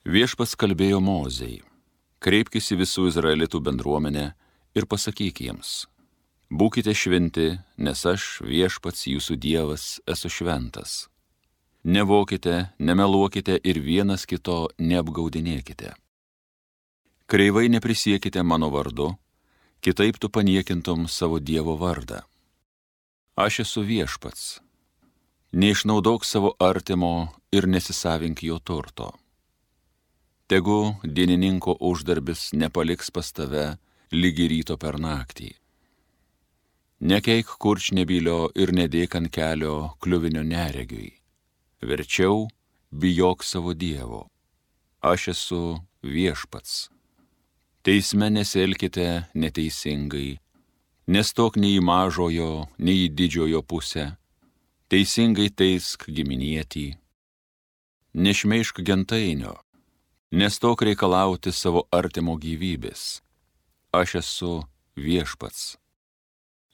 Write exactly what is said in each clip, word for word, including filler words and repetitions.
Viešpats kalbėjo Mozei: kreipkis į visų Izraelitų bendruomenę ir pasakyk jiems: būkite šventi, nes aš, Viešpats jūsų Dievas, esu šventas. Nevokite, nemeluokite ir vienas kito neapgaudinėkite. Kreivai neprisiekite mano vardu, kitaip tu paniekintum savo Dievo vardą. Aš esu Viešpats. Neišnaudok savo artimo ir nesisavink jo turto. Tegu dienininko uždarbis nepaliks pas tave lygi ryto per naktį. Nekeik kurčnebylio ir nedėk ant kelio kliuvinio neregiui. Verčiau bijok savo Dievo. Aš esu Viešpats. Teisme nesielkite neteisingai, nestok nei į mažojo, nei į didžiojo pusę. Teisingai teisk giminietį. Nešmeišk gentainio, nestok reikalauti savo artimo gyvybės. Aš esu Viešpats.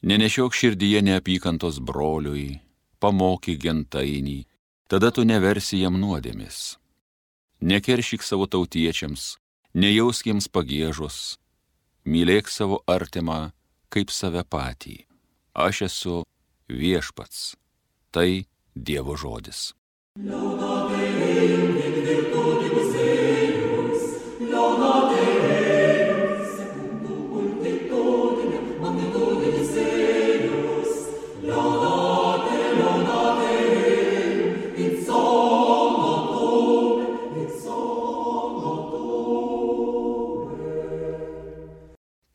Nenešiok širdyje neapykantos broliui, pamokyk gentainį, tada tu neversi jam nuodėmis. Nekeršyk savo tautiečiams, nejausk jiems pagiežos, mylėk savo artimą kaip save patį. Aš esu Viešpats. Tai Dievo žodis.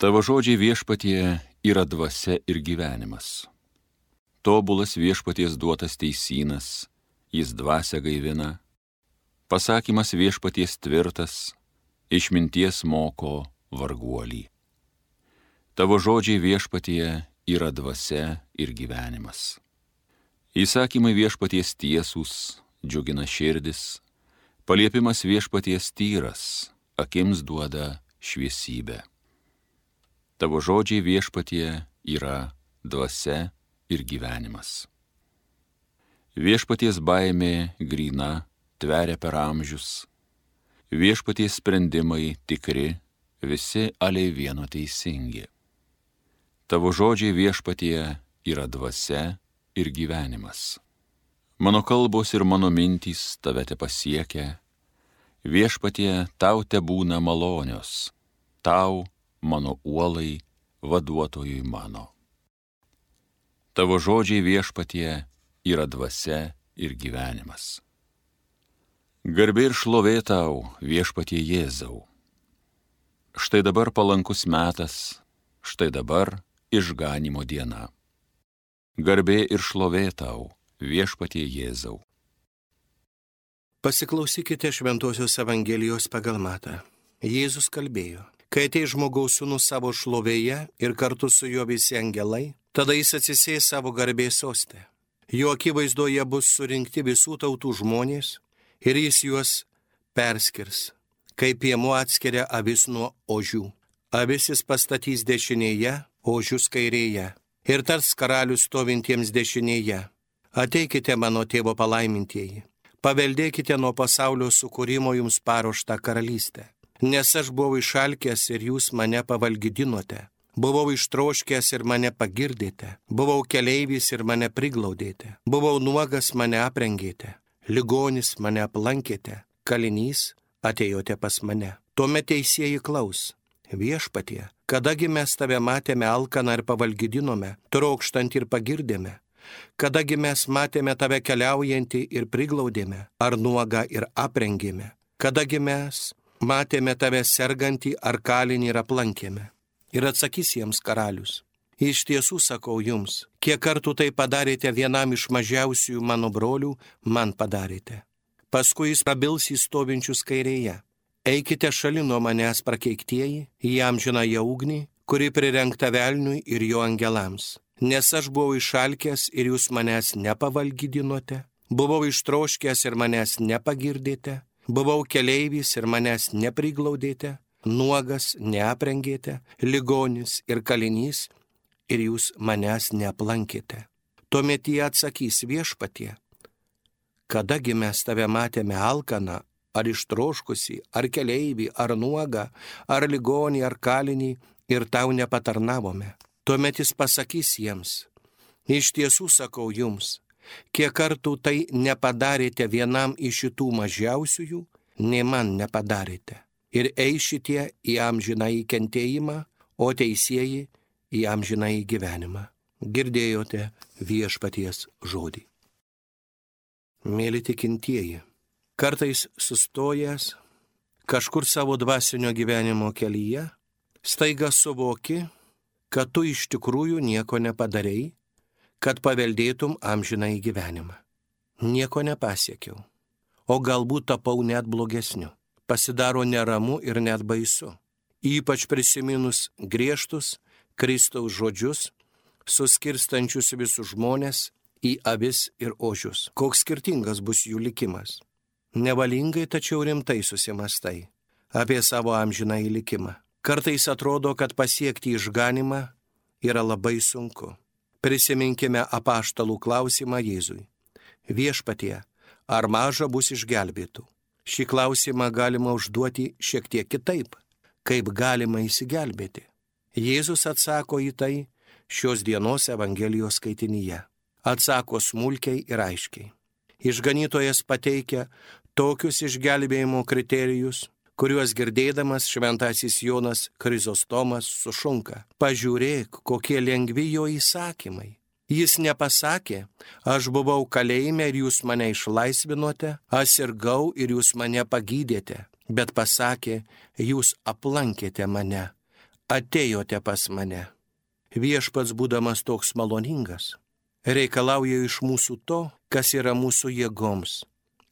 Tavo žodžiai, Viešpatie, yra dvasia ir gyvenimas. Tobulas Viešpaties duotas teisynas, jis dvasią gaivina. Pasakymas Viešpaties tvirtas, išminties moko varguolį. Tavo žodžiai, Viešpatie, yra dvasia ir gyvenimas. Įsakymai Viešpaties tiesūs, džiugina širdis, paliepimas Viešpaties tyras, akims duoda šviesybę. Tavo žodžiai, Viešpatie, yra dvasia ir gyvenimas. Viešpaties baimė gryna, tveria per amžius. Viešpaties sprendimai tikri, visi aliai vieno teisingi. Tavo žodžiai, Viešpatie, yra dvasia ir gyvenimas. Mano kalbos ir mano mintys tave te pasiekia. Viešpatie, tau te būna malonios, tau, mano uolai, vaduotojui mano. Tavo žodžiai, Viešpatie, yra dvasia ir gyvenimas. Garbė ir šlovė tau, Viešpatie Jėzau. Štai dabar palankus metas, štai dabar išganimo diena. Garbė ir šlovė tau, Viešpatie Jėzau. Pasiklausykite Šventosios Evangelijos pagal Matą. Jėzus kalbėjo: kai ateis žmogaus sūnus savo šlovėje ir kartu su juo visi angelai, tada jis atsisės savo garbės soste. Jo akivaizdoje bus surinkti visų tautų žmonės ir jis juos perskirs, kaip piemuo atskiria avis nuo ožių. Avis jis pastatys dešinėje, ožius kairėje. Ir tars karalius stovintiems dešinėje: ateikite mano tėvo palaimintieji, paveldėkite nuo pasaulio sukūrimo jums paruoštą karalystę. Nes aš buvau išalkęs ir jūs mane pavalgydinote, buvau ištroškęs ir mane pagirdėte, buvau keleivis ir mane priglaudėte, buvau nuogas, mane aprengėte, ligonis, mane aplankėte, kalinys, atėjote pas mane. Tuomet teisieji klaus: Viešpatie, kadagi mes tave matėme alkaną ir pavalgydinome, trokštant ir pagirdėme? Kadagi mes matėme tave keliaujantį ir priglaudėme, ar nuogą ir aprengėme? Kadagi mes matėme tave sergantį ar kalinį ir aplankėme? Ir atsakys jiems karalius: iš tiesų sakau jums, kiek kartų tai padarėte vienam iš mažiausiųjų mano brolių, man padarėte. Paskui jis prabils į stovinčius kairėje: eikite šalin nuo manęs prakeiktieji, į amžinąją ugnį, kuri prirengta velniui ir jo angelams. Nes aš buvau išalkęs ir jūs manęs nepavalgydinote, buvau ištroškęs ir manęs nepagirdėte, buvau keleivis ir manęs nepriglaudėte, nuogas neaprengėte, ligonis ir kalinys ir jūs manęs neaplankėte. Tuomet jie atsakys: Viešpatie, kadagi mes tave matėme alkaną ar ištroškusi, ar keleivį, ar nuogą, ar ligonį, ar kalinį, ir tau nepatarnavome. Tuomet jis pasakys jiems: iš tiesų sakau jums, kiek kartų tai nepadarėte vienam iš šitų mažiausiųjų, nei man nepadarėte. Ir eišitie į amžinąjį kentėjimą, o teisieji į amžinąjį gyvenimą. Girdėjote viešpaties žodį. Mėly tikintieji, kartais sustojęs kažkur savo dvasinio gyvenimo kelyje, staiga suvoki, kad tu iš tikrųjų nieko nepadarei, kad paveldėtum amžinąjį gyvenimą. Nieko nepasiekiau, o galbūt tapau net blogesniu. Pasidaro neramu ir net baisu, ypač prisiminus griežtus Kristaus žodžius, suskirstančius visus žmonės į avis ir ožius. Koks skirtingas bus jų likimas. Nevalingai, tačiau rimtai susimastai apie savo amžinąjį likimą. Kartais atrodo, kad pasiekti išganimą yra labai sunku. Prisiminkime apaštalų klausimą Jėzui: viešpatie, ar maža bus išgelbėtų? Šį klausimą galima užduoti šiek tiek kitaip: kaip galima įsigelbėti? Jėzus atsako į tai šios dienos Evangelijos skaitinyje. Atsako smulkiai ir aiškiai. Išganytojas pateikia tokius išgelbėjimo kriterijus, kuriuos girdėdamas šventasis Jonas Krizostomas sušunka: pažiūrėk, kokie lengvi jo įsakymai. Jis nepasakė: aš buvau kalėjime ir jūs mane išlaisvinote, aš sirgau ir jūs mane pagydėte, bet pasakė: jūs aplankėte mane, atėjote pas mane. Viešpats, būdamas toks maloningas, reikalauja iš mūsų to, kas yra mūsų jėgoms,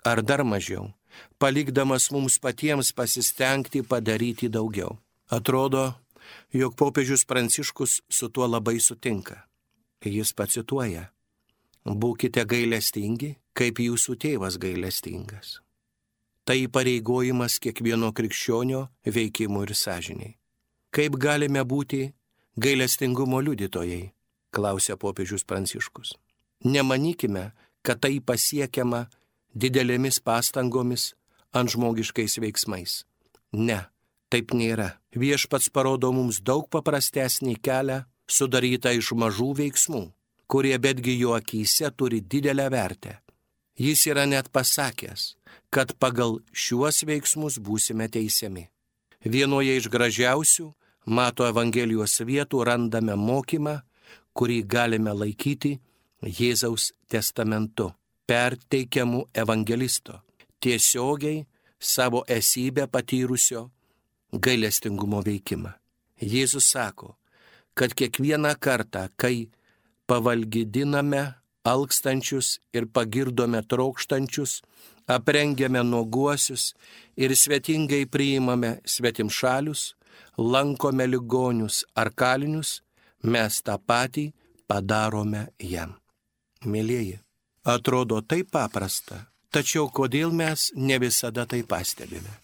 ar dar mažiau, palikdamas mums patiems pasistengti padaryti daugiau. Atrodo, jog popiežius Pranciškus su tuo labai sutinka. Jis pacituoja: būkite gailestingi, kaip jūsų tėvas gailestingas. Tai įpareigojimas kiekvieno krikščionio veikimui ir sąžiniai. Kaip galime būti gailestingumo liudytojai, klausia popiežius Pranciškus. Nemanykime, kad tai pasiekiama didelėmis pastangomis ant žmogiškais veiksmais. Ne, taip nėra. Viešpats parodo mums daug paprastesnį kelią, sudarytą iš mažų veiksmų, kurie betgi jo akyse turi didelę vertę. Jis yra net pasakęs, kad pagal šiuos veiksmus būsime teisiami. Vienoje iš gražiausių Mato Evangelijos vietų randame mokymą, kurį galime laikyti Jėzaus testamentu, perteikiamu evangelisto, tiesiogiai savo esybę patyrusio gailestingumo veikimą. Jėzus sako, kad kiekvieną kartą, kai pavalgydiname alkstančius ir pagirdome trokštančius, aprengiame nuoguosius ir svetingai priimame svetimšalius, lankome ligonius ar kalinius, mes tą patį padarome jam. Mėlieji, atrodo taip paprasta, tačiau kodėl mes ne visada tai pastebime?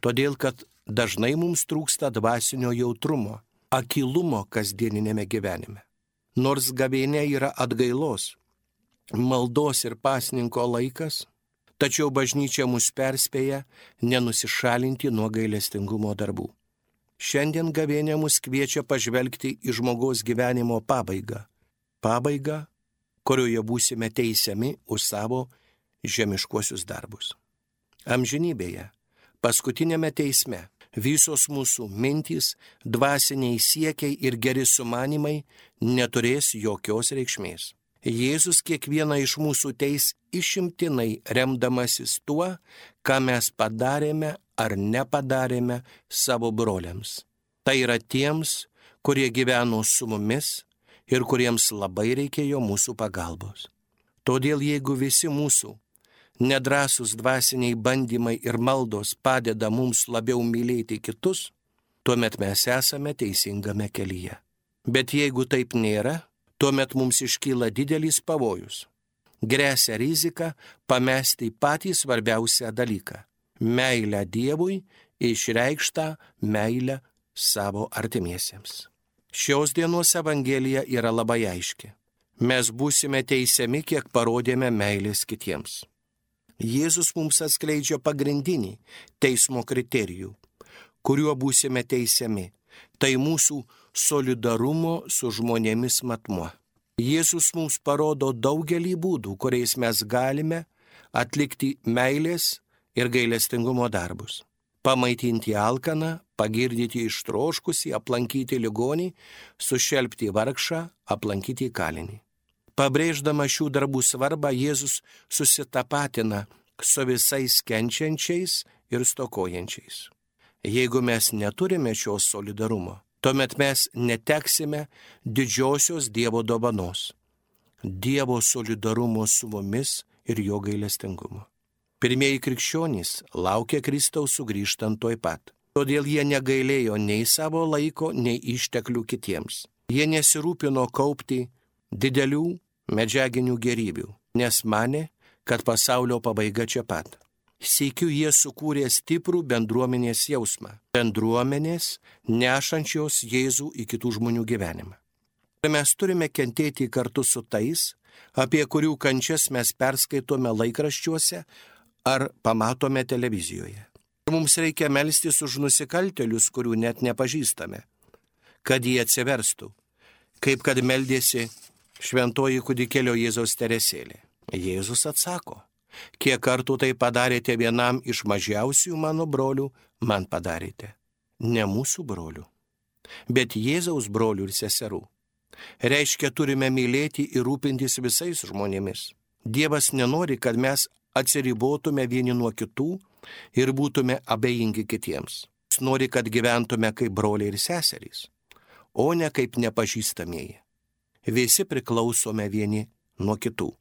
Todėl, kad dažnai mums trūksta dvasinio jautrumo, akylumo kasdieninėme gyvenime. Nors gavėnia yra atgailos, maldos ir pasninko laikas, tačiau bažnyčia mus perspėja nenusišalinti nuo gailestingumo darbų. Šiandien gavėnia mus kviečia pažvelgti į žmogaus gyvenimo pabaigą. Pabaigą, kurioje būsime teisiami už savo žemiškuosius darbus. Amžinybėje, paskutinėme teisme, visos mūsų mintys, dvasiniai siekiai ir geri sumanimai neturės jokios reikšmės. Jėzus kiekvieną iš mūsų teis išimtinai remdamasis tuo, ką mes padarėme ar nepadarėme savo broliams. Tai yra tiems, kurie gyveno su mumis ir kuriems labai reikėjo mūsų pagalbos. Todėl jeigu visi mūsų nedrąsūs dvasiniai bandymai ir maldos padeda mums labiau mylėti kitus, tuomet mes esame teisingame kelyje. Bet jeigu taip nėra, tuomet mums iškyla didelis pavojus. Gresia rizika pamesti patį svarbiausią dalyką – meilę Dievui, išreikštą meilę savo artimiesiems. Šios dienos Evangelija yra labai aiški. Mes būsime teisiami, kiek parodėme meilės kitiems. Jėzus mums atskleidžia pagrindinį teismo kriterijų, kuriuo būsime teisiami. Tai mūsų solidarumo su žmonėmis matmuo. Jėzus mums parodo daugelį būdų, kuriais mes galime atlikti meilės ir gailestingumo darbus. Pamaitinti alkaną, pagirdyti ištroškusį, aplankyti ligonį, sušelpti vargšą, aplankyti kalinį. Pabrėždama šių darbų svarbą, Jėzus susitapatina su visais kenčiančiais ir stokojančiais. Jeigu mes neturime šios solidarumo, tuomet mes neteksime didžiosios Dievo dovanos – Dievo solidarumo su mumis ir jo gailestingumo. Pirmieji krikščionys laukė Kristaus sugrįžtant tuoj pat. Todėl jie negailėjo nei savo laiko, nei išteklių kitiems. Jie nesirūpino kaupti didelių medžiaginių gėrybių, nes manė, kad pasaulio pabaiga čia pat. Sykiu jie sukūrė stiprų bendruomenės jausmą. Bendruomenės nešančios Jėzų į kitų žmonių gyvenimą. Mes turime kentėti kartu su tais, apie kurių kančias mes perskaitome laikraščiuose ar pamatome televizijoje. Mums reikia melstis už nusikaltėlius, kurių net nepažįstame, kad jie atsiverstų, kaip kad meldėsi šventoji kūdikėlio Jėzaus Teresėlė. Jėzus atsako, kiek kartų tai padarėte vienam iš mažiausių mano brolių, man padarėte. Ne mūsų brolių, bet Jėzaus brolių ir seserų. Reiškia, turime mylėti ir rūpintis visais žmonėmis. Dievas nenori, kad mes atsiribotume vieni nuo kitų ir būtume abejingi kitiems. Jis nori, kad gyventume kaip broliai ir seserys, o ne kaip nepažįstamieji. Visi priklausome vieni nuo kitų.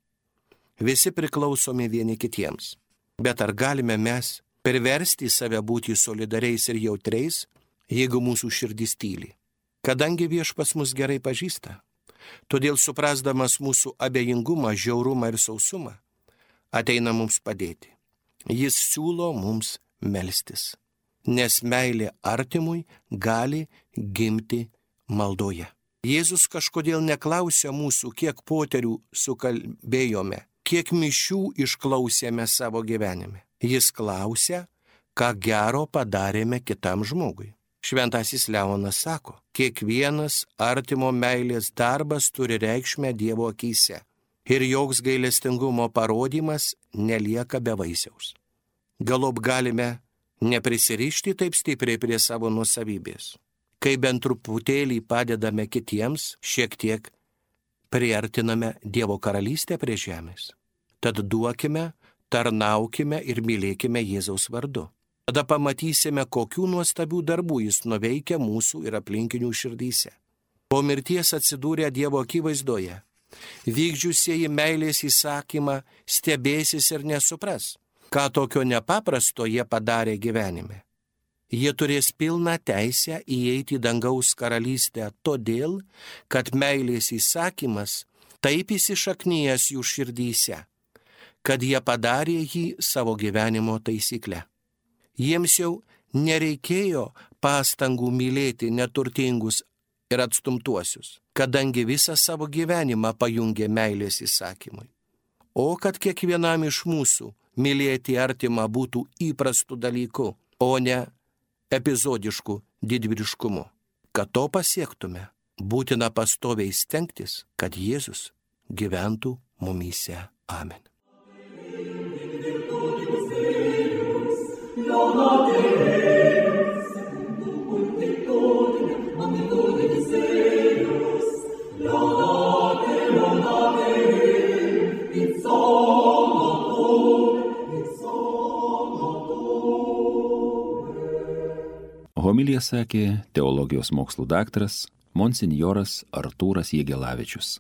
Visi priklausome vieni kitiems. Bet ar galime mes perversti save būti solidariais ir jautriais, jeigu mūsų širdis tyli? Kadangi Viešpats mus gerai pažįsta, todėl suprasdamas mūsų abejingumą, žiaurumą ir sausumą, ateina mums padėti. Jis siūlo mums melstis, nes meilė artimui gali gimti maldoje. Jėzus kažkodėl neklausia mūsų, kiek poterių sukalbėjome, kiek mišių išklausėme savo gyvenime. Jis klausia, ką gero padarėme kitam žmogui. Šventasis Leonas sako, kiekvienas artimo meilės darbas turi reikšmę Dievo akyse ir joks gailestingumo parodymas nelieka be vaisiaus. Galop galime neprisirišti taip stipriai prie savo nuosavybės. Kai bent truputėlį padedame kitiems, šiek tiek priartiname Dievo karalystę prie žemės. Tad duokime, tarnaukime ir mylėkime Jėzaus vardu. Tada pamatysime, kokių nuostabių darbų jis nuveikia mūsų ir aplinkinių širdyse. Po mirties atsidūrę Dievo akivaizdoje, vykdžiusieji meilės įsakymą stebėsis ir nesupras, ką tokio nepaprasto jie padarė gyvenime. Jie turės pilną teisę įeiti į dangaus karalystę todėl, kad meilės įsakymas taip įsišaknyjęs jų širdyse, kad jie padarė jį savo gyvenimo taisykle. Jiems jau nereikėjo pastangų mylėti neturtingus ir atstumtuosius, kadangi visą savo gyvenimą pajungė meilės įsakymui. O kad kiekvienam iš mūsų mylėti artimą būtų įprastų dalykų, o ne epizodiškų didvyriškumu. Kad to pasiektume, būtina pastoviai stengtis, kad Jėzus gyventų mumyse. Amen. Homiliją sakė teologijos mokslų daktaras monsinjoras Artūras Jegelavičius.